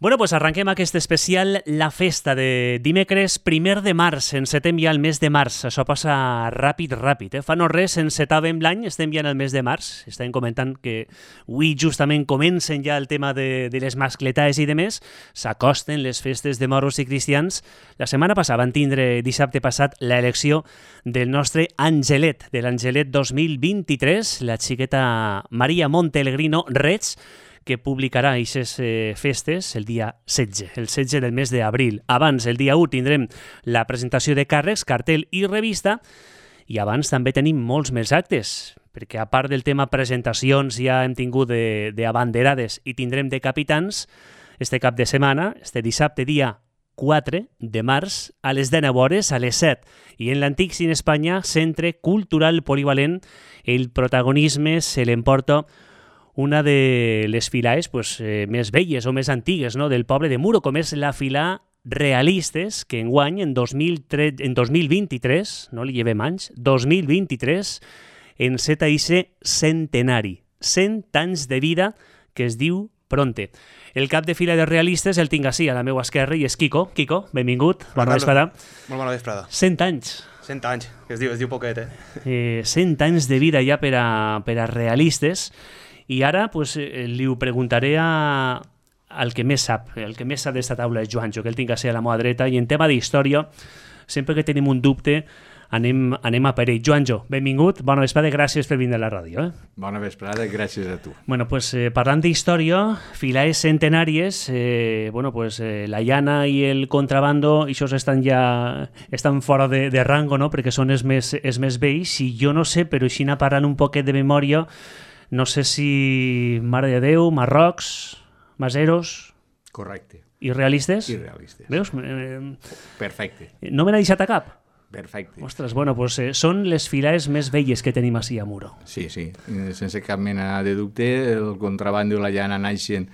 Bueno, pues arrenquem aquest especial La Festa de dimecres 1 de març. Encetem ja el mes de març. Això passa ràpid. Fa no res, encetàvem l'any, estem ja en el mes de març. Estem comentant que avui justament comencen ja el tema de les mascletades i de més. S'acosten les festes de moros i cristians. La setmana passada van tindre dissabte passat l'elecció del nostre Angelet, de l'Angelet 2023, la xiqueta Maria Montelegrino Reig, que publicarà aquestes festes el dia 16, el 16 del mes d'abril. Abans, el dia 1, tindrem la presentació de càrrecs, cartell i revista, i abans també tenim molts més actes, perquè a part del tema presentacions ja hem tingut d'abanderades i tindrem de capitans este cap de setmana, este dissabte dia 4 de març, a les 19 hores, a les 7, i en l'antic Cine Espanya, Centre Cultural Polivalent, el protagonisme se l'emporta una de les filaes més velles o més antigues, no?, del poble de Muro, com és la fila Realistes, que enguany, en 2023, no li llevem anys, 2023, enceta ixe centenari, 100 anys de vida, que es diu Pronte. El cap de fila de Realistes el tinc així, a la meva esquerra, i és Quico. Quico, benvingut, bona vesprada. Molt bona vesprada. 100 anys. 100 anys, que es diu poquet, 100 anys de vida ja per a Realistes. I ara li ho preguntaré al que més sap, d'esta taula és Joanjo, que el tinc a ser a la meva dreta, i en tema d'història, sempre que tenim un dubte, anem a per ell. Joanjo, benvingut, bona vesprada, gràcies per vindre a la ràdio. Bona vesprada, gràcies a tu. Bueno, parlant d'història, filaes centenàries, la llana i el contrabando, això estan fora de rango, no?, perquè són els més vells, i jo no sé, però així parlant un poquet de memòria, no sé si Mare de Déu, Marrocs, Maseros... Correcte. I Realistes? I Realistes. Veus? Perfecte. No me n'ha deixat a cap? Perfecte. Ostres, són les filaes més velles que tenim així a Muro. Sí, sense cap mena de dubte, el contrabando i la llana naixen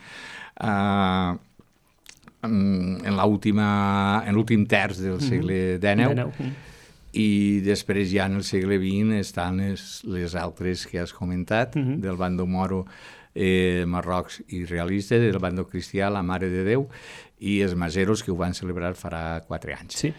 en l'últim terç del segle XIX, i després ja en el segle XX estan les altres que has comentat, del bando moro, Marrocs i Realistes, del bando cristià, la Mare de Déu, i els maseros, que ho van celebrar farà 4 anys. Sí,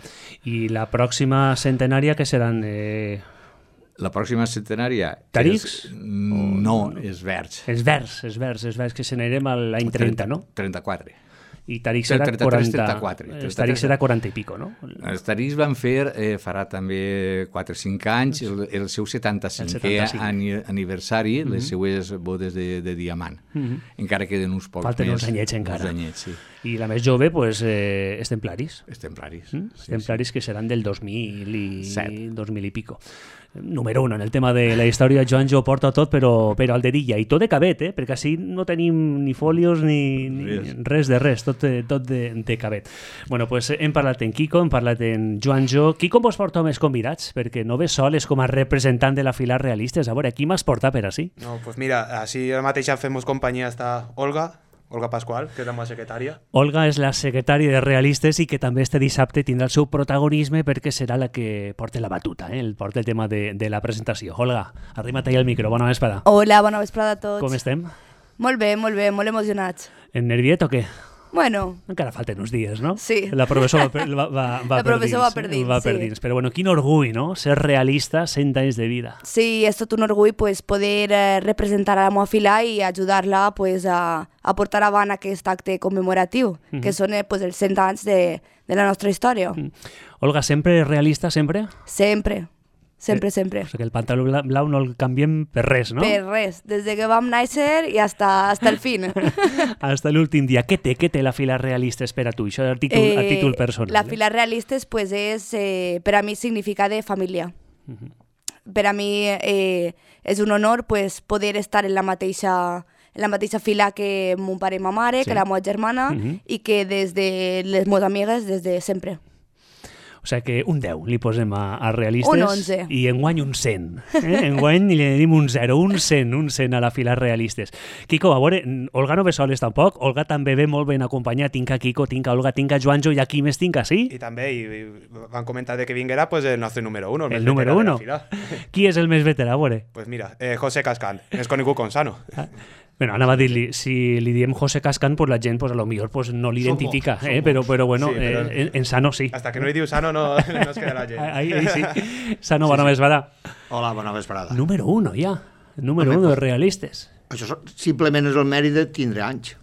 i la pròxima centenària, que seran... La pròxima centenària... Tarics? No, és Verds. Els Verds, que se n'anirem a l'any 30, no? 34. I Tarics serà 34. Els Tarics serà 40 i pico, no? Els Tarics van fer, farà també 4 o 5 anys, el seu 75è aniversari, les seues bodes de diamant. Encara queden uns pocs més. Falten uns anyets encara. Sí. I la més jove, és Templaris. És Templaris. Templaris que seran del 2000 i pico. Número 1, en el tema de la història, Joanjo ho porta tot, però al dedilla, i tot de cabet, perquè així no tenim ni fòlios ni res de res, tot de cabet. Bueno, hem parlat en Quico, hem parlat en Joanjo. Quico vos porta més convidats, perquè no ve sol, és com a representant de la fila Realistes. A veure, qui m'has portat per així? No, mira, així mateix fem companyia està Olga Pascual, que és la meva secretària. Olga és la secretària de Realistes i que també este dissabte tindrà el seu protagonisme perquè serà la que porta la batuta, porta el tema de la presentació. Olga, arrima't allà al micro, bona vesprada. Hola, bona vesprada a tots. Com estem? Molt bé, molt emocionats. En nerviet o què? Bueno. Encara falten uns dies, no? Sí. La professora va per dins. Però bueno, quin orgull, no? Ser realista 100 anys de vida. Sí, és tot un orgull poder representar a la meva fila i ajudar-la a portar avant aquest acte commemoratiu, que són els 100 anys de la nostra història. Olga, sempre realista, sempre? Sempre. Sempre. O sigui que el pantaló blau no el canviem per res, no? Per res, des de que vam néixer i hasta el fin. Hasta l'últim dia. Què té la fila Realistes per a tu? Això a títol personal. La fila Realistes és, per a mi, significa de família. Per a mi és un honor poder estar en la mateixa fila que mon pare i ma mare, que la meva germana, i que des de les meves amigues des de sempre. O sigui que un 10 li posem a Realistes. Un 11. I enguany un 100. Enguany li anem un 0, un 100 a la fila Realistes. Quico, a veure, Olga no ve soles tampoc. Olga també ve molt ben acompanyada. Tinc a Quico, tinc a Olga, tinc a Joanjo i aquí més tinc a sí. I també van comentar de que vinguera el nostre número 1. El número 1. Qui és el més veterà, a veure? Pues mira, José Cascán, més conegut com Sano. Bueno, anava a dir-li, si li diem José Cascan, pues la gent pues, a lo millor pues, no l'identifica, però bueno, Sí, però en Sano sí. Hasta que no li diu Sano no es quedarà gent. Ahí sí. Sano, bona vesprada. Hola, bona vesprada. Número 1, ja. Número 1 de realistes. Això simplement és el mèrit de tindre anys.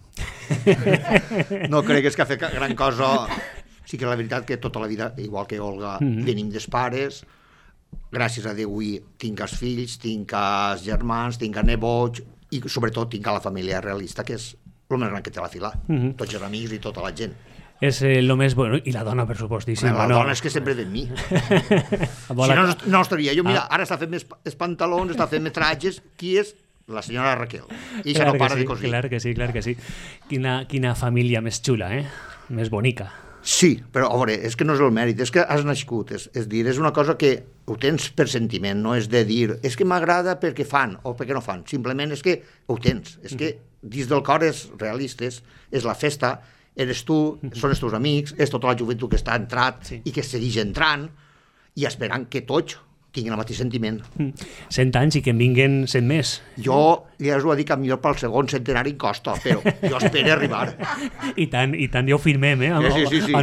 No crec que ha fet gran cosa. Sí que la veritat que tota la vida, igual que Olga, venim dels pares, gràcies a Déu avui tinc els fills, tinc els germans, tinc els nebots i sobretot tinc a la família realista, que és el més gran que té la fila. Tots els amics i tota la gent. És el més bueno. I la dona, per supostíssim. La dona és que sempre de mi. Si no estaria jo. Mira, ara està fent més pantalons, està fent metratges. Qui és? La senyora Raquel. I això no para de cosir. Clar que sí. Quina família més xula, més bonica. Sí, però a veure, és que no és el mèrit, és que has nascut, és dir, és una cosa que ho tens per sentiment, no és de dir, és que m'agrada perquè fan o perquè no fan, simplement és que ho tens, és que dins del cor és realistes, és la festa, eres tu, són els teus amics, és tota la joventut que està entrat i que segueix entrant i esperant que tots tinguin el mateix sentiment. 100 anys i que en vinguen 100 més. Jo ja us ho dic que millor pel segon centenari costa, però jo espero arribar. I tant, ja ho firmem,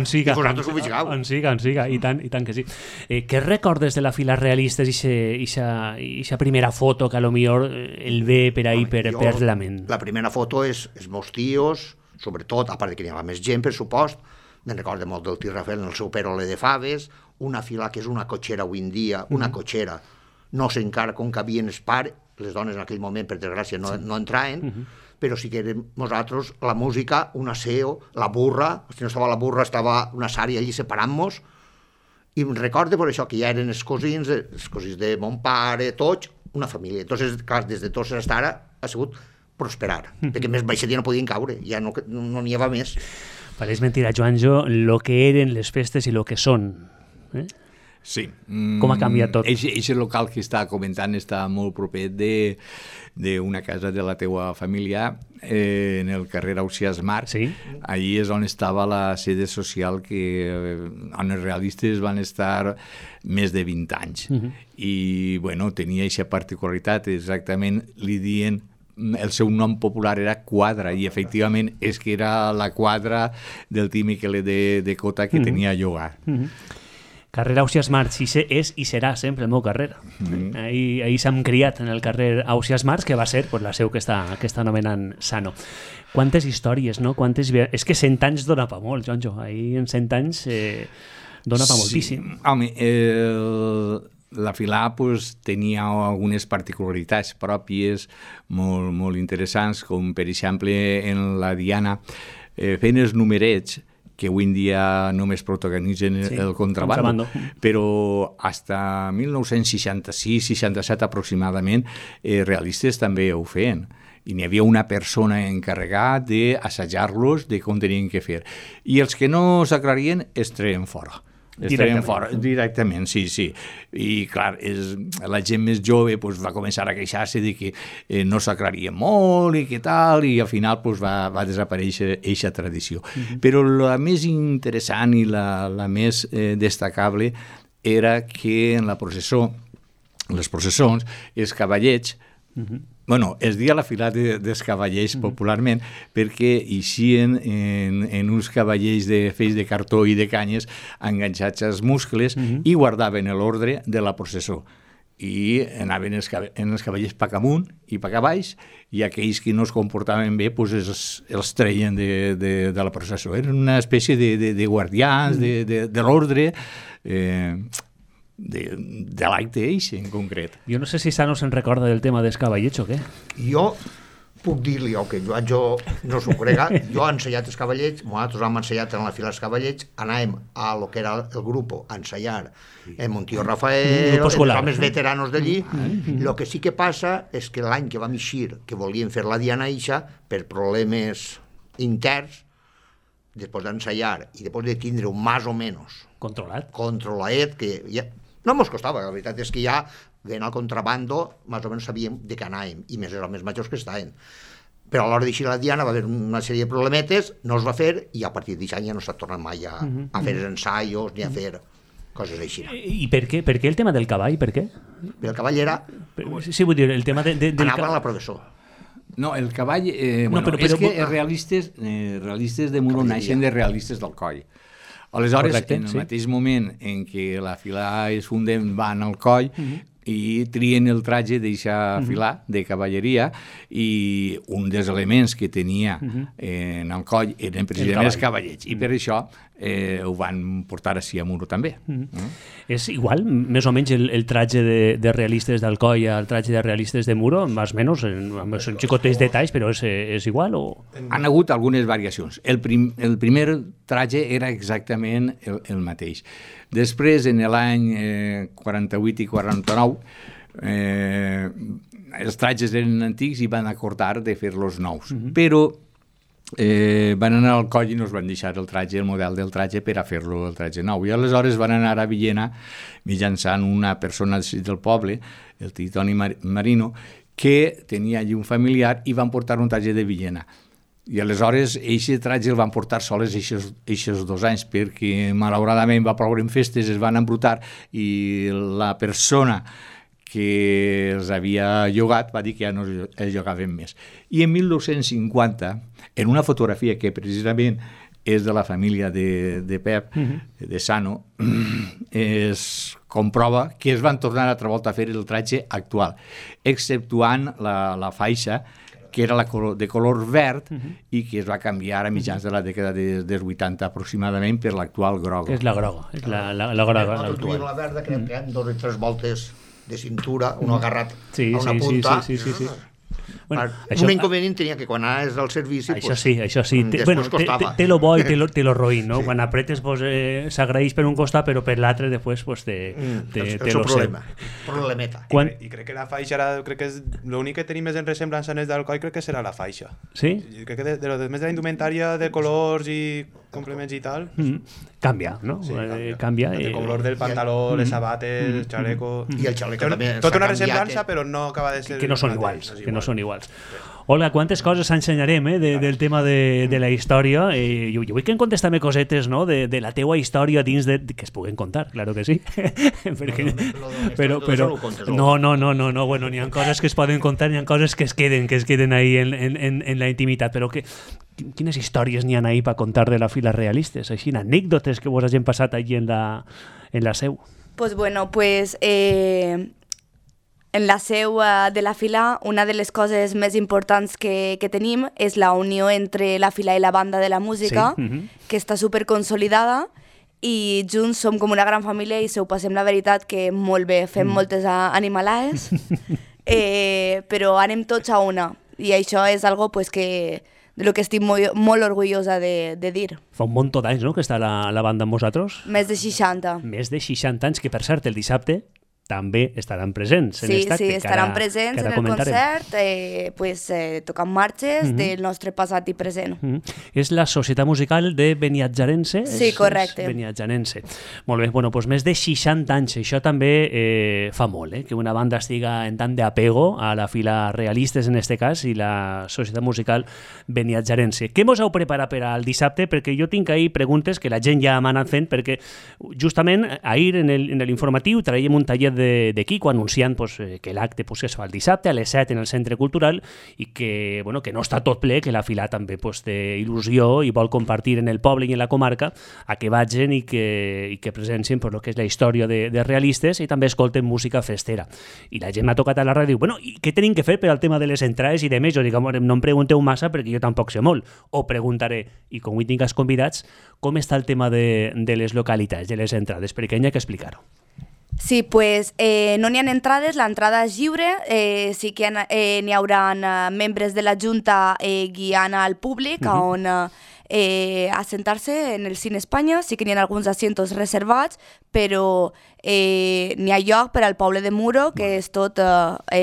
Sí. I vosaltres ho vigileu. En siga, i tant que sí. Què recordes de la fila realistes i aquesta primera foto que a lo millor el ve per ahí per la ment? La primera foto és els meus tios, sobretot, a part que n'hi havia més gent, per supost, me'n recordo molt del tio Rafael en el seu perole de faves, una fila que és una cotxera avui en dia, una cotxera, no sé encara com cabien els pares, les dones en aquell moment, per desgràcia, no entraven, però sí que érem nosaltres, la música, un aseo, la burra, si no estava la burra, estava una sària allí separant-nos, i em recordo per això que ja eren els cosins de mon pare, tots, una família. Entonces, clar, des de tots fins ara ha sigut prosperar, perquè més baixet ja no podien caure, ja no n'hi havia més. Pareix mentira, Joanjo, lo que eren les festes i lo que són. Sí. Com ha canviat tot? Eixe local que està comentant està molt proper d'una casa de la teua família en el carrer Ausiàs Marc. Sí. Allí és on estava la sede social on els realistes van estar més de 20 anys. I, bueno, tenia aquesta particularitat, exactament li diuen el seu nom popular era Quadra i efectivament és que era la quadra del Tim Miquel de Cota que tenia a llogar. Carrer Ausiàs March és i serà sempre el meu carrer. Ahí s'hem criat en el carrer Ausiàs March, que va ser la seu que està anomenant Sano. Quantes històries, no? És que 100 anys dona pa molt, Joanjo. Ahir en 100 anys dona pa moltíssim. Home, la filà tenia algunes particularitats pròpies molt interessants, com per exemple en la Diana feien els numerets que avui en dia només protagonitzen el contrabando, però fins a 1966-67 aproximadament realistes també ho feien. I n'hi havia una persona encarregat d'assajar-los de com tenien que fer. I els que no s'aclarien es treien fora. Directament, sí. I clar, la gent més jove va començar a queixar-se de que no s'aclaria molt i què tal, i al final va desaparèixer aquesta tradició. Però la més interessant i la més destacable era que en la processó, les processons, els cavallets, es dia la fila dels cavallers popularment perquè eixien en uns cavallers de feix de cartó i de canyes enganxats als muscles i guardaven l'ordre de la processó. I anaven els cavallers pac amunt i pac baix i aquells que no es comportaven bé els treien de la processó. Eren una espècie de guardians de l'ordre de l'acte eixe en concret. Jo no sé si Sano se'n recorda del tema dels cavallets o què. Jo puc dir-li, que jo no s'ho crega, jo he ensenyat els cavallets, nosaltres hem ensenyat en la fila els cavallets, anàvem a lo que era el grup a ensayar amb un tio Rafael, els homes veteranos d'allí. El que sí que passa és que l'any que vam eixir, que volíem fer la Diana Ixa, per problemes interns, després d'ensayar i després de tindre un més o menys controlat, que ja no mos costava, la veritat és que ja veient al contrabando, més o menys sabíem de què anàvem, i més els homes majors que estaven. Però a l'hora d'eixir la Diana va haver una sèrie de problemetes, no es va fer, i a partir d'això ja no s'ha tornat mai a fer ensaios ni a fer coses així. I per què el tema del cavall? Per què? El cavall era... Sí, vull dir, el tema anava a la processó. No, el cavall... però- és que els realistes de Muro naixen de realistes del coll. Aleshores, Correcte, en el sí. mateix moment en què la fila es funden, van al coll i trien el traje d'eixa filar de cavalleria, i un dels elements que tenia en el coll eren precisament els cavallets, i per això ho van portar així a Muro també. És igual, més o menys, el traje de realistes d'Alcoi al traje de realistes de Muro, més o menys, amb els xicotets detalls, però és igual o... Han hagut algunes variacions. El primer traje era exactament el mateix. Després, en l'any 48 i 49, els trajes eren antics i van acordar de fer-los nous. Però van anar al coll i no es van deixar el model del traje per a fer-lo el traje nou. I aleshores van anar a Villena mitjançant una persona del poble, el Toni Marino, que tenia allí un familiar i van portar un traje de Villena. I aleshores aquest traje el van portar soles aquests 2 anys perquè malauradament va ploure en festes, es van embrutar i la persona que els havia llogat va dir que ja no es llogaven més. I en 1950, en una fotografia que precisament és de la família de Pep, de Sano, es comprova que es van tornar altra volta a fer el traje actual, exceptuant la faixa, que era de color verd i que es va canviar a mitjans de la dècada dels 80 aproximadament per l'actual groga. És la groga, és la groga. Nosaltres duiem la verda, crec que hi ha 2 o 3 voltes de cintura, un agarrat Sí, a una sí, punta. sí. Bueno, Un inconvenient tenia que quan anaves al servici... Això sí. Després costava. Té lo bo i té lo roïn, no? Sí. Quan apretes s'agraeix per un costat, però per l'altre després té el lo seu problema. Problemeta. I crec que la faixa crec que és l'únic que tenim més en ressemblança en els d'Alcoi, crec que serà la faixa. Sí? Crec que més de la indumentària, de colors i complements i tal... Canvia, no? Sí, canvia. El color del pantaló, les sabates, el xaleco... I el xaleco també Tota una s'ha canviat, ressemblança, però no acaba de ser... Que no són iguals, que no són iguals. Olga, quantes coses ensenyarem del tema de la història. Jo vull que em contestes cosetes, no? de la teua història dins de... que es puguen contar, claro que sí. però no, bueno, n'hi ha coses que es poden contar, n'hi ha coses que es queden ahí en la intimitat, però quines històries n'hi ha ahí per contar de la fila realistes? Així, anècdotes que vos hagin passat allí en la seu. Pues bueno, en la seu de la fila, una de les coses més importants que tenim és la unió entre la fila i la banda de la música, Sí. que està superconsolidada, i junts som com una gran família i se ho passem la veritat que molt bé, fem moltes animalades, però anem tots a una, i això és algo que de lo que estic molt orgullosa de dir. Fa un munt d'anys, no?, que està la banda amb vosaltres. Més de 60. Més de 60 anys, que per cert, el dissabte també estaran presents en aquest acte. Sí, estaran presents en el concert, tocant marxes del nostre passat i present. És la Societat Musical de Beniatjarense? Sí, correcte. És Beniatjarense. Molt bé, bueno, doncs més de 60 anys. Això també fa molt, que una banda estiga en tant d'apego a la fila realistes, en este cas, i la Societat Musical Beniatjarense. Què mos heu preparat per al dissabte? Perquè jo tinc ahir preguntes que la gent ja m'ha anat fent, perquè justament ahir en l'informatiu traiem un taller de Quico anunciant que l'acte es fa el dissabte a les 7 en el Centre Cultural i que no està tot ple, que la fila també té il·lusió i vol compartir en el poble i en la comarca a que vagin i que presencien el que és la història de realistes i també escolten música festera. I la gent m'ha tocat a la ràdio, i què tenim que fer per al tema de les entrades i de més? Jo dic, no em pregunteu massa perquè jo tampoc sé molt. O preguntaré, i com avui tinc els convidats, com està el tema de les localitats, de les entrades, perquè hi ha que explicar-ho. Sí, pues no n'hi ha entrades, l'entrada és lliure, sí que n'hi haurà membres de la Junta guiant al públic on assentar-se en el Cine Espanya, sí que n'hi ha alguns asientos reservats, però n'hi ha lloc per al poble de Muro, que és tot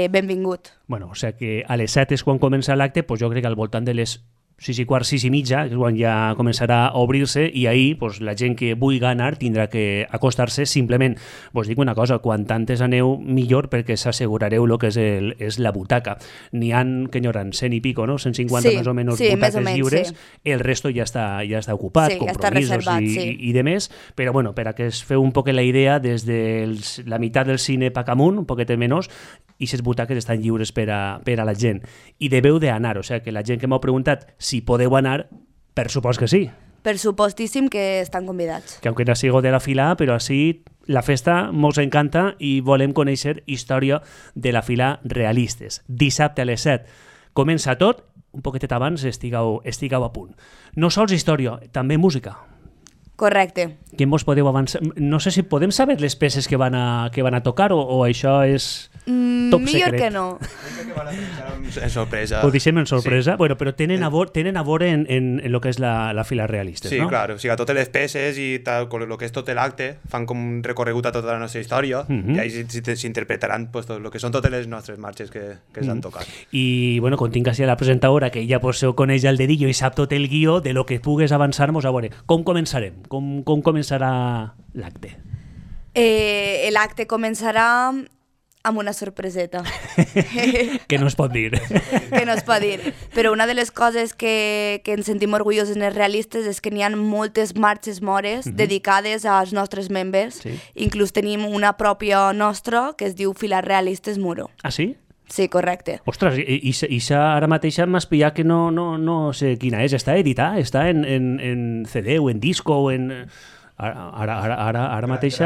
benvingut. Bueno, o sigui que a les 7 és quan comença l'acte, jo crec que al voltant de les 6:15, 6:30, que és quan ja començarà a obrir-se, i ahir pues, la gent que vulgui anar tindrà que acostar-se. Simplement, vos dic una cosa, quan tantes aneu, millor, perquè s'assegurareu el que és la butaca. N'hi ha, que n'hi haurà, 100 i pico, no? 150 més o menys butaques lliures, el resto ja està ocupat, compromisos i de més, però bueno, per a que es feu un poc la idea, des de la meitat del cine Pacamunt, un poquet menys, i les butaques estan lliures per a la gent. I deveu d'anar, o sigui que la gent que m'heu preguntat si podeu anar, per supost que sí. Per supostíssim que estan convidats. Que aunque no sigo de la fila, però així la festa mos encanta i volem conèixer història de la fila Realistes. Dissabte a les 7 comença tot, un poquetet abans estigueu a punt. No sols història, també música. Correcte. Què mos podeu avançar? No sé si podem saber les peces que van a tocar o això és top secret. Millor que no. En sorpresa. Ho deixem en sorpresa, bueno, però tenen a veure en lo que és la fila Realistes, sí, no? Sí, clar, o sigui, totes les peces i tal, el que és tot l'acte fan com un recorregut a tota la nostra història i ahí s'interpretaran pues, tot el que són totes les nostres marxes que s'han tocat. I, bueno, com tinc així la presentadora, que ella pues, ho coneix al dedillo i sap tot el guió, de lo que pugues avançar-nos, a veure, com començarem? Com començarà l'acte? L'acte començarà amb una sorpreseta. Que no es pot dir. Que no es pot dir. Però una de les coses que ens sentim orgullosos en els Realistes és que n'hi ha moltes marxes mores dedicades als nostres membres. Sí. Inclús tenim una pròpia nostra que es diu Filar Realistes Muro. Ah, sí? Sí, correcte. Ostres, i ara mateix m'has pillat que no sé quina és. Està editada? Està en CD o en disco o en... Ara mateix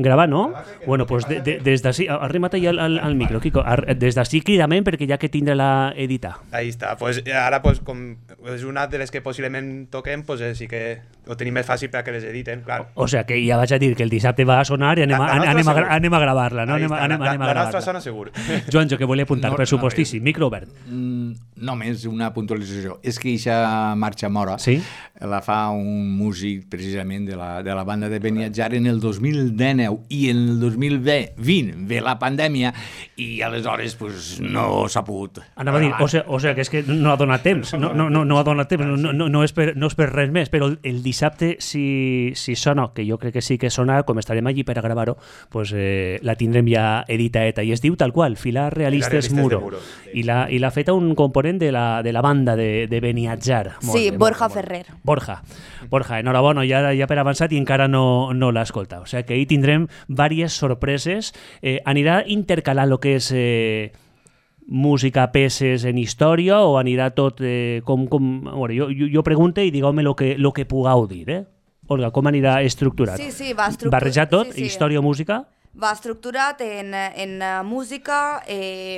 gravar, no? Bueno, doncs des d'ací, arrima't allà al micro, Quico, des d'ací cridament perquè ja que tindrà-la editar. Ahí està, pues ara pues, com és una de les que possiblement toquem, pues sí que ho tenim més fàcil perquè les editen, clar. O sea que ja vaig a dir que el dissabte va a sonar i anem a gravar-la, no? La nostra sona segur. Joanjo, que volia apuntar, pressupostíssim, micro obert. Només una puntualització. És que aquesta marxa mora la fa un músic precisament de la banda de Beniatjar en el 2019 i en el 2020 ve la pandèmia i aleshores pues, no s'ha pogut. Anava a dir, o sigui que és que no ha donat temps, no ha donat temps, no és per res més, però el dissabte si sona, que jo crec que sí que sona, com estarem allí per a gravar-ho, pues, la tindrem ja editaeta i es diu tal qual, Filar Realistes Muro. I l'ha feta un component de la banda de Beniatjar. Sí, Borja Ferrer. Borja, enhorabona, ja per avançat i encara no l'ha escoltat. O sigui que ahí tindrem diverses sorpreses. Anirà intercalant el que és música, peces en història o anirà tot com... Bueno, jo pregunto i digueu-me el que pugueu dir, Olga, com anirà estructurat? Sí, va estructurat. Barrejar tot, història o música? Va estructurat en música,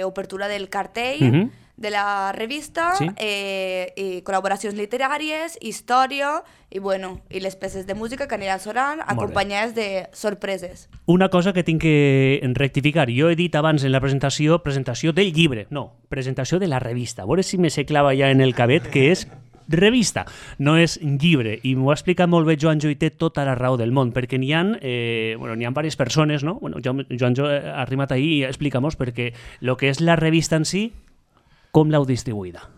obertura del cartell, de la revista, i col·laboracions literàries, història i les peces de música que aniran sonant acompanyades de sorpreses. Una cosa que tinc que rectificar. Jo he dit abans en la presentació del llibre. No, presentació de la revista. A veure si me se clava ja en el cabet que és revista, no és llibre, i m'ho ha explicat molt bé Joanjo i té tota la raó del món, perquè n'hi ha diverses persones, no? Bueno, Joanjo ha arribat ahir i explica-mos perquè el que és la revista en si, com l'heu distribuïda?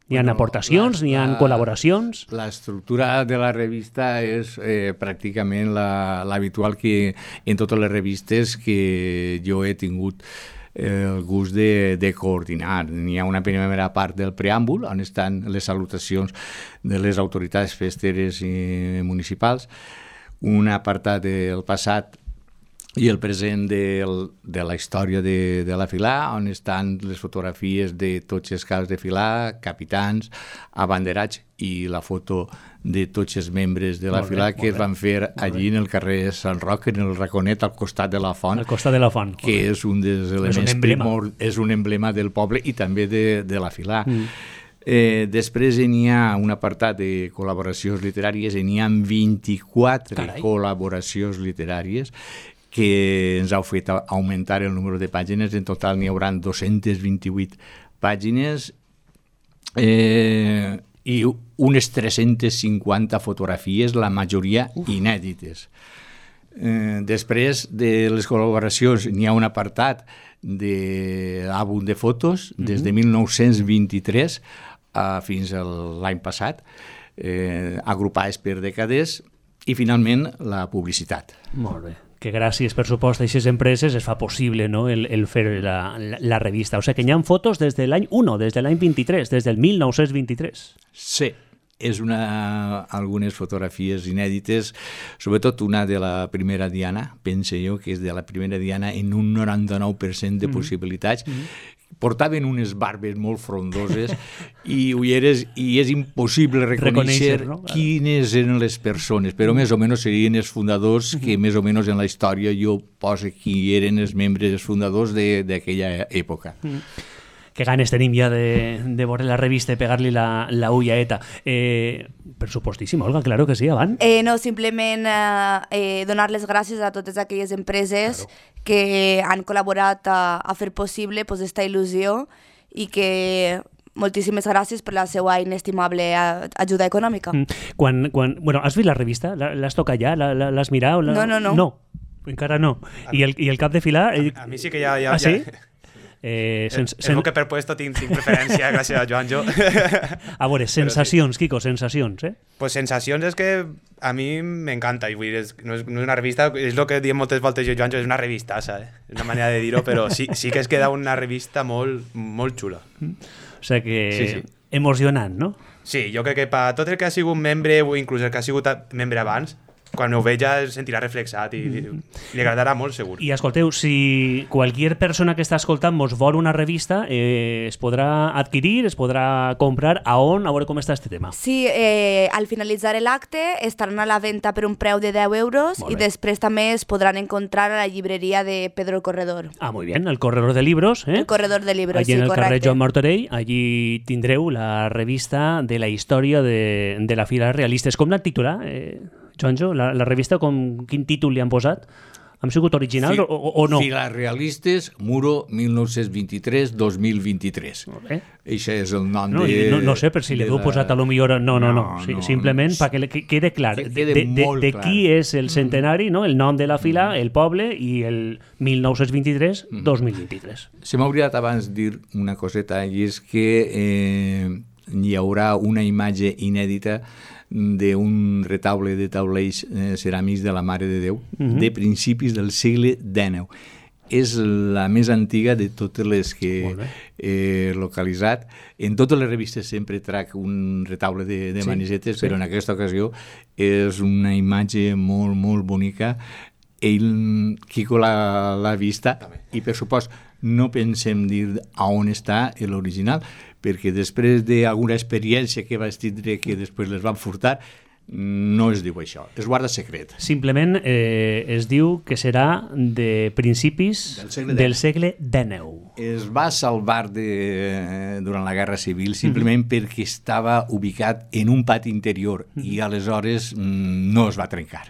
N'hi ha aportacions, n'hi ha col·laboracions? L'estructura de la revista és pràcticament l'habitual que en totes les revistes que jo he tingut el gust de coordinar. N'hi ha una primera part del preàmbul, on estan les salutacions de les autoritats festeres i municipals, un apartat del passat i el present de la història de la Filà, on estan les fotografies de tots els caps de Filà, capitans, abanderats i la foto de tots els membres de la Filà que es van fer allí en el carrer Sant Roc, en el raconet al costat de la font. Al costat de la font. Que és un dels elements és un emblema del poble i també de la Filà. Després n'hi ha un apartat de col·laboracions literàries, n'hi ha 24 col·laboracions literàries que ens heu fet augmentar el número de pàgines. En total n'hi haurà 228 pàgines i unes 350 fotografies, la majoria inèdites. Després de les col·laboracions n'hi ha un apartat d'àlbum de fotos des de 1923 fins a l'any passat, agrupades per dècades, i finalment la publicitat. Molt bé. Que gràcies, per supost, a aquestes empreses es fa possible, no?, el fer la revista. O sigui que hi ha fotos des de l'any 1, des de l'any 23, des del 1923. Sí, algunes fotografies inèdites, sobretot una de la primera diana, pense jo que és de la primera diana en un 99% de possibilitats. Portaven unes barbes molt frondoses i ulleres, i és impossible reconèixer, no? Quines eren les persones, però més o menys serien els fundadors, que més o menys en la història jo poso qui eren els membres fundadors d'aquella època. Que ganes tenim ja de veure la revista i pegar-li la ullaeta. Per supostíssim, Olga, claro que sí, avant. No, simplement donar les gràcies a totes aquelles empreses que han col·laborat a fer possible esta il·lusió, i que moltíssimes gràcies per la seva inestimable ajuda econòmica. Bueno, has vist la revista? L'has tocat ja? L'has mirat? No, encara no. I el cap de filar... A mi sí que ja... Ah, sí? És el que per puesto tinc preferència, gràcies a Joanjo. A veure, sensacions, Quico, sensacions, Pues sensacions és que a mi m'encanta, i vull dir, no és una revista, és el que diem moltes voltes jo, Joanjo, és una revistassa, és una manera de dir-ho, però sí que es queda una revista molt, molt xula. O sigui que emocionant, no? Sí, jo crec que per tot el que ha sigut membre, o inclús el que ha sigut membre abans, quan ho veig ja es sentirà reflexat i li agradarà molt, segur. I escolteu, si qualsevol persona que està escoltant mos vol una revista, es podrà adquirir, es podrà comprar, a on? A veure com està este tema. Sí, al finalitzar l'acte estaran a la venda per un preu de 10 euros i després també es podran encontrar a la llibreria de Pedro el Corredor. Ah, muy bien, el Corredor de Libros. El Corredor de Libros, allí sí, en el correcte. carrer Joan Martorell, allí tindreu la revista de la història de la Fila Realistes. Com l'han titulat, Joanjo? La revista, quin títol li han posat? Han sigut originals o no? Fila Realistes, Muro 1923-2023. Això és el nom de... No sé, per si li heu posat a lo millor... No. Simplement perquè quede clar de qui és el centenari, no? El nom de la fila, el poble i el 1923-2023. Se m'ha oblidat abans dir una coseta, i és que hi haurà una imatge inèdita d'un retaule de taulells ceràmics de la Mare de Déu de principis del segle XIX. És la més antiga de totes les que he localitzat. En totes les revistes sempre trac un retaule de manisetes, però en aquesta ocasió és una imatge molt, molt bonica. Quico l'ha vista i, per supost, no pensem dir a on està l'original, perquè després d'alguna experiència que vaig tindre que després les van furtar, no es diu això, es guarda secret. Simplement es diu que serà de principis del segle XIX. Es va salvar durant la Guerra Civil simplement perquè estava ubicat en un pati interior i aleshores no es va trencar.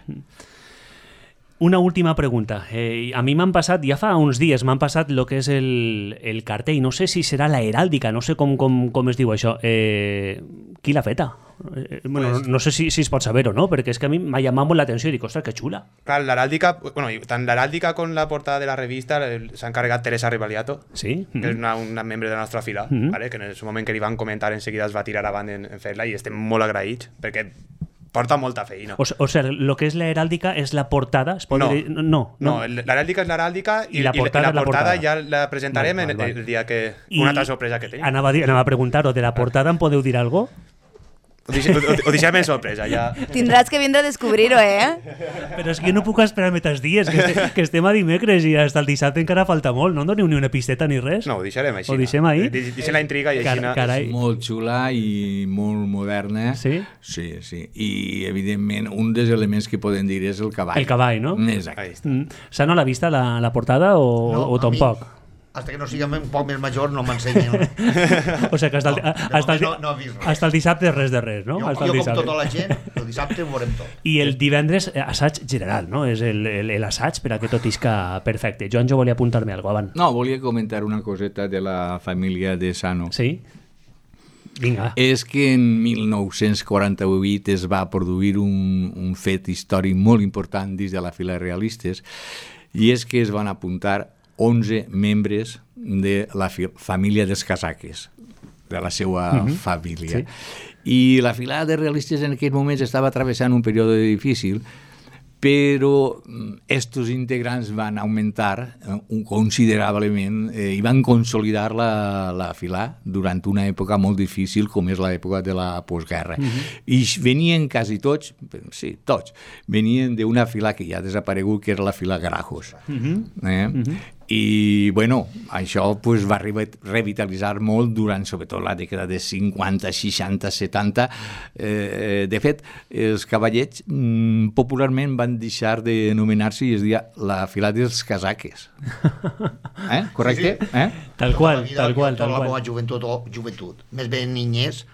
Una última pregunta. A mi m'han passat, ja fa uns dies, m'han passat el que és el cartell. No sé si serà la heràldica, no sé com es diu això. Qui l'ha feta? No sé si es pot saber o no, perquè és que a mi m'ha llamat molt l'atenció i dic, ostres, que xula. Clar, l'heràldica, tant l'heràldica com la portada de la revista s'ha encarregat Teresa Rivaliato, que és una membre de la nostra fila, que en el moment que li van comentar enseguida es va tirar avant en fer-la, i estem molt agraïts, perquè porta molta feina. O sigui, el que és la heràldica és la portada? No, l'heràldica és l'heràldica i la portada ja la presentarem el dia que... Una altra sorpresa que tenim. Anava a preguntar-ho, de la portada em podeu dir alguna cosa? Ho deixem en sorpresa, ja. Tindràs que vindre a descobrir-ho, Però és que no puc esperar més dies, que estem a dimecres i fins al dissabte encara falta molt. No em doneu ni una pisteta ni res? No, ho deixarem així. Ho deixem ahí? Deixem la intriga i així... És molt xula i molt moderna. Sí? Sí. I, evidentment, un dels elements que podem dir és el cavall. El cavall, no? Exacte. S'ha no l'ha vista la portada o tampoc? Hasta que no siguem un poc més major no m'ensenyen. O sigui que hasta el dissabte res de res, no? Jo com tota la gent, el dissabte ho veurem tot. I el divendres assaig general, no? És l'assaig per a que tot isca perfecte. Jo volia apuntar-me alguna cosa abans. No, volia comentar una coseta de la família de Sano. Sí? Vinga. És que en 1948 es va produir un fet històric molt important dins de la fila Realistes, i és que es van apuntar 11 membres de la família dels Casaques. de la seva família. I la filada de realistes en aquells moments estava travessant un període difícil, però estos integrants van augmentar considerablement i van consolidar la filà durant una època molt difícil com és l'època de la postguerra. I venien quasi tots, sí, tots, venien d'una filà que ja ha desaparegut, que era la filà Grajos. I, bueno, això pues, va revitalitzar molt durant, sobretot, la dècada de 50, 60, 70. De fet, els cavallets popularment van deixar d'anomenar-se i es deia la filà dels casaques. Correcte? Tal qual. Tota la meva joventut, més ben niñez,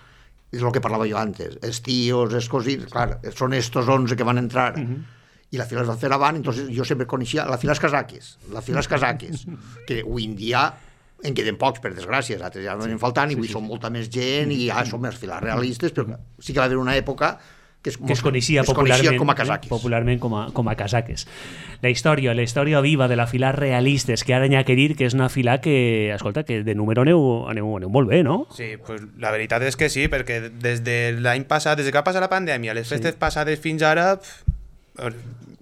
és el que parlava jo antes. Els tios, els cosins, clar, són estos 11 que van entrar i la fila es va fer avant, entonces jo sempre coneixia la fila casaques, que avui en dia en queden pocs, per desgràcia, altres ja no anem faltant, i avui són molta més gent, i ja som els filars realistes, però sí que va haver una època que es coneixia com a casaques. Popularment com a casaques. La història viva de la fila realistes, que ara n'hi ha que dir que és una fila que, escolta, que de número aneu molt bé, no? Sí, pues la veritat és que sí, perquè des de l'any passat, des que va passar la pandèmia, les festes passades fins ara...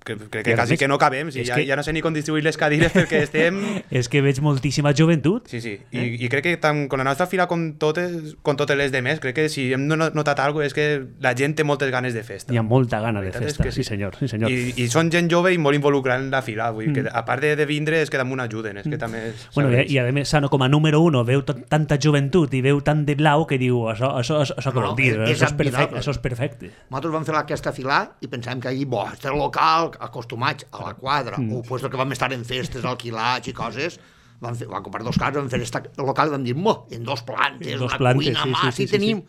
crec que quasi que no cabem, ja no sé ni com distribuir les cadires perquè estem... És que veig moltíssima joventut. Sí, i crec que tant con la nostra fila com totes les demés, crec que si hem notat alguna cosa és que la gent té moltes ganes de festa. Hi ha molta gana de festa, sí senyor. I són gent jove i molt involucrada en la fila, vull que a part de vindre és que també ajuden, és que també... Bueno, i a més, Sano, com a número 1, veu tanta joventut i veu tant de blau que diu, això què vol dir? Això és perfecte. Nosaltres vam fer aquesta fila i pensàvem que allí, este local, acostumats a la quadra, o pues, que vam estar en festes, alquilats i coses, vam comprar 2 cases, vam fer esta local i vam dir, en 2 plantes, una cuina, sí, tenim...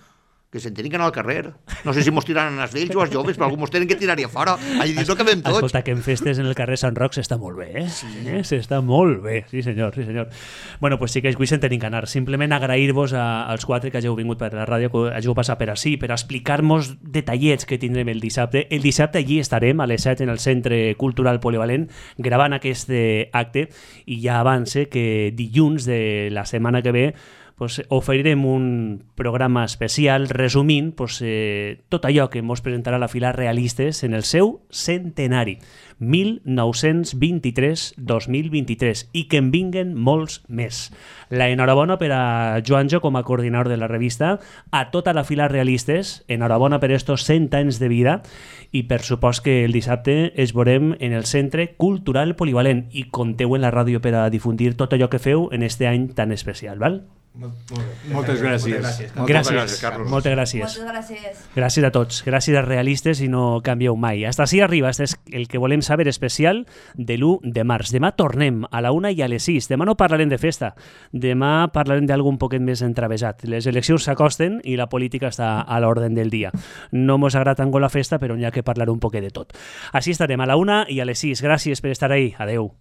que se'n tenen que anar al carrer. No sé si mos tiraran els vells o els joves, però algú mos tenen que tirar-hi a fora. Allà dins no cabem tots. Escolta, que en festes en el carrer Sant Roc s'està molt bé, s'està molt bé, sí senyor. Bueno, pues sí que avui se'n tenim que anar. Simplement agrair-vos als 4 que hàgiu vingut per la ràdio, que hàgiu passat per ací, per explicar-nos detallets que tindrem el dissabte. El dissabte allí estarem a les 7 en el Centre Cultural Polivalent gravant aquest acte, i ja avance que dilluns de la setmana que ve pues, oferirem un programa especial resumint pues, tot allò que ens presentarà la fila Realistes en el seu centenari 1923-2023 i que en vinguen molts més. La enhorabona per a Joanjo com a coordinador de la revista, a tota la fila Realistes, enhorabona per estos 100 anys de vida, i per supost que el dissabte es veurem en el Centre Cultural Polivalent i compteu en la ràdio per a difundir tot allò que feu en este any tan especial, val? Moltes gràcies. Carlos. Moltes gràcies. Gràcies a tots. Gràcies als realistes i no canvieu mai. Hasta així arriba. Este és el que volem saber especial de l'1 de març. Demà tornem a la 1 i a les 6. Demà no parlarem de festa. Demà parlarem d'algun poquet més entravesat. Les eleccions s'acosten i la política està a l'ordre del dia. No mos agrada tant la festa, però n'hi ha que parlar un poquet de tot. Així estarem a la 1 i a les 6. Gràcies per estar ahí. Adeu.